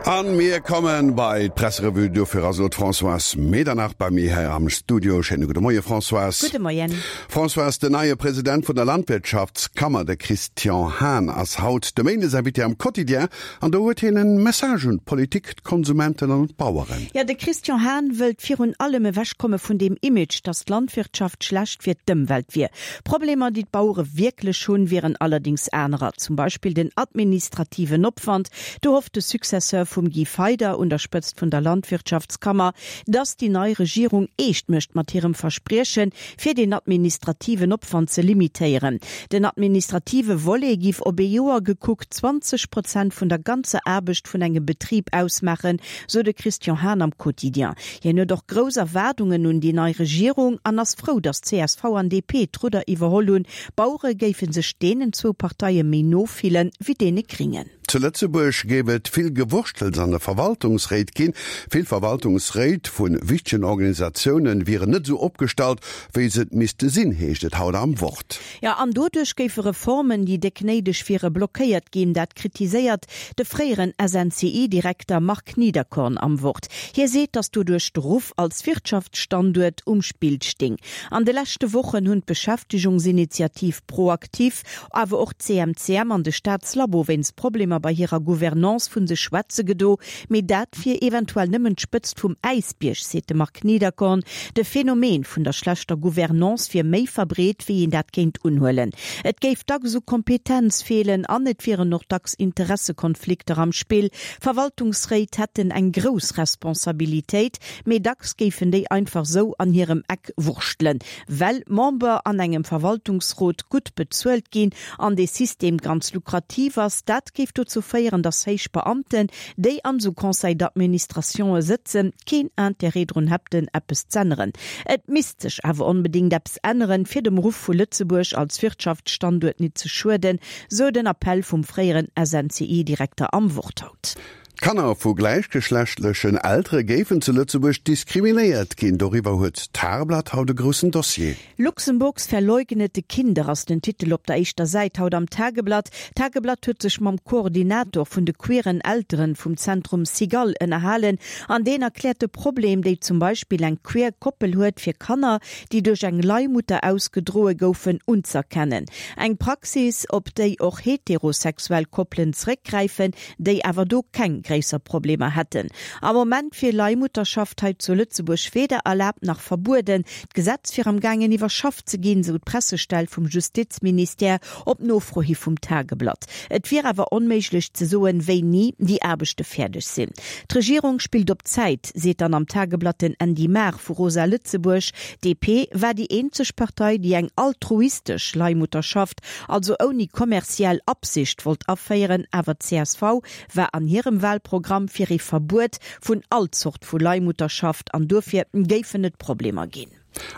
An mir kommen bei d'Presserevue. Dofir ass elo d'Françoise Medernach bei mir hei am Studio. Schéine gudde Moie Françoise. Gudde Moien. Françoise, den neie President vun der Landwirtschaftskammer, de Christian Hahn, ass haut de Méindesinvité am Quotidien. An do huet hien en Message un d'Politik, d'Konsumenten an un d'Baueren. Jo, de Christian Hahn wëllt virun allem ewechkomme vun deem Image, datt d'Landwirtschaft schlecht fir d'Ëmwelt wier. Problemer, déi d'Bauere wierklech hunn, wieren allerdéngs anerer, zum Beispill den administrativen Opwand. Do hofft de Successeur vum Guy Feyder un der Spëtzt vun der Landwirtschaftskammer, datt déi nei Regierung eescht mécht mat hirem Verspriechen, fir den administrativen Opwand ze limitéieren. Den administrative Volet giff op ee Joer gekuckt 20 Prozent vun der ganzer Aarbecht vun engem Betrib ausmaachen, sou de Christian Hahn am Quotidien. Hien huet och grouss Erwaardungen un déi nei Regierung an ass frou, datt csv an DP d'Rudder iwwerholl hunn. D'Bauere géife sech deenen zwou Parteie méi no fillen, wéi deene Gringen. Zu Lëtzebuerg géif et vill Gewurschtels an de Verwaltungsréit ginn. Vill Verwaltungsréit vu wichtegen Organisatioune wieren net esou opgestallt, wéi se et misste sinn, heescht et haut am Wort. Jo, an doduerch géife Reformen, déi déck néideg wiere, blockéiert ginn. Dat kritiséiert de fréieren SNCI-Direkter Marc Niederkorn am Wort. Hie seet, datt doduerch de Ruff als Wirtschaftsstanduert um Spill sting. An de leschte Wochen hunn d'Beschäftegungsinitiativ ProActif, awer och d'CMCM an de Staatslabo wéinst Problemer bei hirer Gouvernance vu sech schwätze gedo. Mee dat wier eventuell nëmmen d'Spëtzt vum Äisbierg, seet de Marc Niederkorn. De Phänomen vun der schlechter Gouvernance wier méi verbreet, wéi een dat kéint unhuelen. Et géif dacks u Kompetenz feelen an et wieren och dacks Interessekonflikter am Spill. Verwaltungsréit hätten eng grouss Responsabilitéit, mee dacks géifen déi einfach sou an hirem Eck wurschtelen. Well Member an engem Verwaltungsrot gutt bezuelt ginn an dee System ganz lukrativ ass, dat géif dozou féieren, datt héich Beamten, déi an esou Conseils d'administrationë sëtzen, keen Intérêt drun hätten, eppes z'änneren. Et misst sech awer onbedéngt eppes änneren, fir dem Ruff vu Lëtzebuerg als Wirtschaftsstanduert nit ze schueden, sou den Appell vum fréieren SNCI-Direkter am Wort haut. D'Kanner vu gläichgeschlechtlechen Eltere géifen zu Lëtzebuerg diskriminéiert ginn. Doriwwer huet d'Tageblatt haut e groussen Dossier. Luxemburgs verleugnete Kinder ass den Titel op der éischter Säit haut am Tageblatt. D'Tageblatt huet sech mam Koordinator vun de queeren Elteren vum Zentrum Cigale ënnerhalen an deen erkläert de Problem, déi zum Beispill eng queer Koppel huet fir Kanner, déi duerch eng Leihmutter ausgedroe goufen, unz'erkennen. Eng Praxis, op déi och heterosexuell Koppelen zeréckgräifen, déi awer do keng gréisser Problemer hätten. Am Moment wier Leihmutterschaft hei zu Lëtzebuerg weder erlaabt nach verbueden. D'Gesetz wier am gaangen iwwerschafft ze ginn, sou d'Pressestell vum Justizministère op Nofro hi vum Tageblatt. Et wier awer onméiglech ze soen, wéini déi Aarbechte fäerdeg sinn. D'Regierung spillt op Zäit, seet dann am Tageblatt den Andy Maar vu Rosa Lëtzebuerg. DP war déi eenzeg Partei, déi eng altruistesch Leihmutterschaft also ouni kommerziell Absicht wollt aféieren, awer csv war an hirem Wahlprogramm fir ee Verbuet vun all Zort vu Leihmutterschaft an duerfir géifen et Problemer ginn.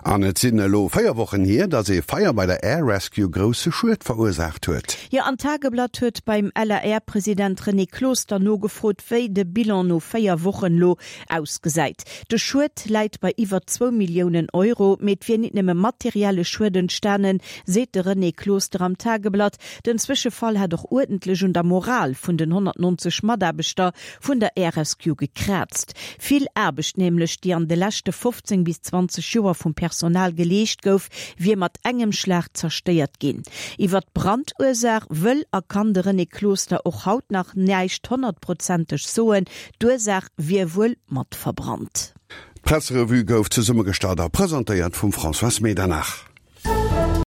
An et sinn elo 4 Wochen hier, datt ee Feier bei der Air Rescue grousse Schued verursaacht huet. Jo, an d'Tageblatt huet beim LAR-President René Closter nogefrot, wéi de Bilan no 4 Wochen elo ausgesäit. De Schued läit bei iwwer zwou Milliounen Euro, mee et wier nit nëmme materielle Schued entstanen, seet de René Closter am Tageblatt. Den Zwëschefall hätt och uerdentlech un der Moral vun den 190 Mataarbechter vun der RSQ gekraazt. Vill Aarbecht nämlech, déi an de leschte 15 bis 20 Joer vum Personal geleescht gouf, wier mat engem Schlag zerstéiert ginn. Iwwer d'Brandursaach wëll a kann de René Closter och haut nach näischt honnertprozenteg soen. D'Ursaach wier wuel mat verbrannt. D'Presserevue gouf zesummegestallt a presentéiert vum Françoise Medernach.